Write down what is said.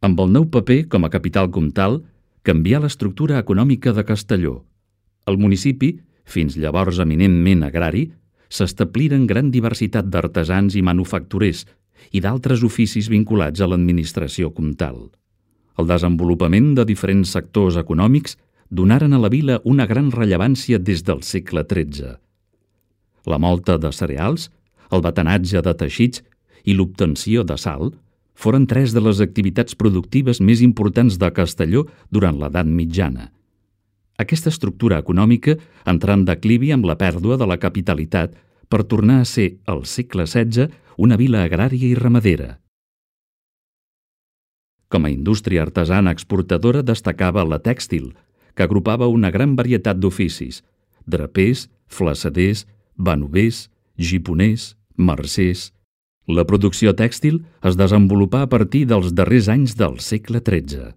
Amb el nou paper com a capital comtal, canvià l'estructura econòmica de Castelló. El municipi, fins llavors eminentment agrari, s'establiren gran diversitat d'artesans i manufacturers i d'altres oficis vinculats a l'administració comtal. El desenvolupament de diferents sectors econòmics donaren a la vila una gran rellevància des del segle XIII. La mòlta de cereals, el batanatge de teixits i l'obtenció de sal foren tres de les activitats productives més importants de Castelló durant l'edat mitjana. Aquesta estructura econòmica entrà en declivi amb la pèrdua de la capitalitat per tornar a ser, al segle XVI, una vila agrària i ramadera. Com a indústria artesana exportadora destacava la tèxtil, que agrupava una gran varietat d'oficis: drapers, flassaders, banovers, giponers, mercers. La producció tèxtil es desenvolupà a partir dels darrers anys del segle XIII.